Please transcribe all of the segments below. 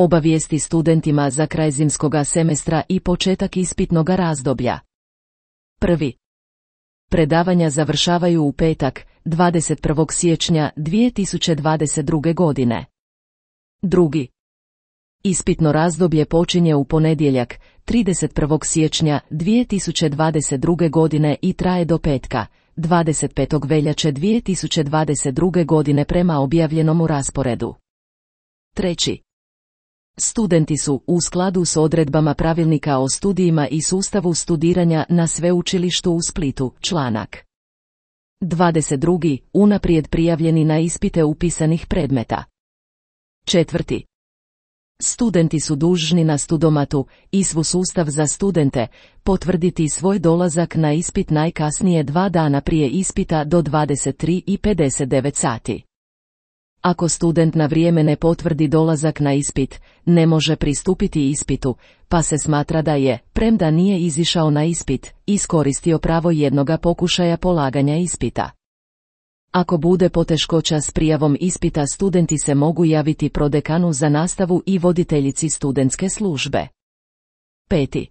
Obavijesti studentima za kraj zimskoga semestra i početak ispitnoga razdoblja. 1. Predavanja završavaju u petak, 21. siječnja 2022. godine. 2. Ispitno razdoblje počinje u ponedjeljak, 31. siječnja 2022. godine i traje do petka, 25. veljače 2022. godine prema objavljenom rasporedu. 3. Studenti su, u skladu s odredbama pravilnika o studijima i sustavu studiranja na sveučilištu u Splitu, članak 22. unaprijed prijavljeni na ispite upisanih predmeta. 4. Studenti su dužni na Studomatu, ISVU sustav za studente, potvrditi svoj dolazak na ispit najkasnije 2 dana prije ispita do 23:59 sati. Ako student na vrijeme ne potvrdi dolazak na ispit, ne može pristupiti ispitu, pa se smatra da je, premda nije izišao na ispit, iskoristio pravo jednoga pokušaja polaganja ispita. Ako bude poteškoća s prijavom ispita, studenti se mogu javiti prodekanu za nastavu i voditeljici studentske službe. 5.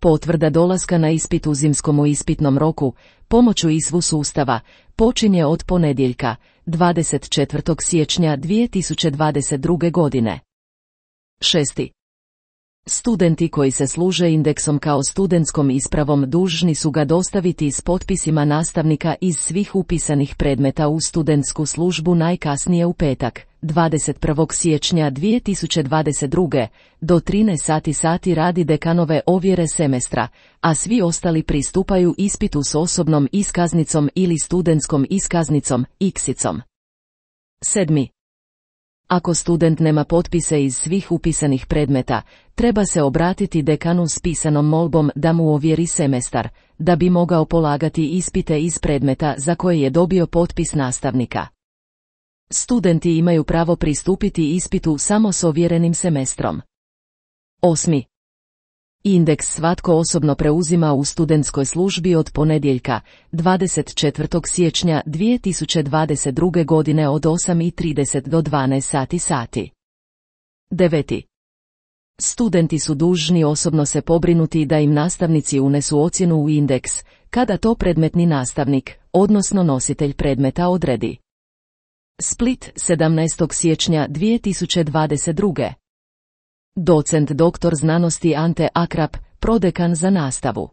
Potvrda dolaska na ispit u zimskom ispitnom roku, pomoću ISVU sustava, počinje od ponedjeljka, 24. siječnja 2022. godine. 6. Studenti koji se služe indeksom kao studentskom ispravom dužni su ga dostaviti s potpisima nastavnika iz svih upisanih predmeta u studentsku službu najkasnije u petak, 21. siječnja 2022. do 13 sati radi dekanove ovjere semestra, a svi ostali pristupaju ispitu s osobnom iskaznicom ili studentskom iskaznicom, iksicom. 7. Ako student nema potpise iz svih upisanih predmeta, treba se obratiti dekanu s pisanom molbom da mu ovjeri semestar, da bi mogao polagati ispite iz predmeta za koje je dobio potpis nastavnika. Studenti imaju pravo pristupiti ispitu samo s ovjerenim semestrom. 8. Indeks svatko osobno preuzima u studentskoj službi od ponedjeljka, 24. siječnja 2022. godine od 8:30 do 12 sati. 9. Studenti su dužni osobno se pobrinuti da im nastavnici unesu ocjenu u indeks, kada to predmetni nastavnik, odnosno nositelj predmeta odredi. Split, 17. siječnja 2022. Docent dr. znanosti Ante Akrap, prodekan za nastavu.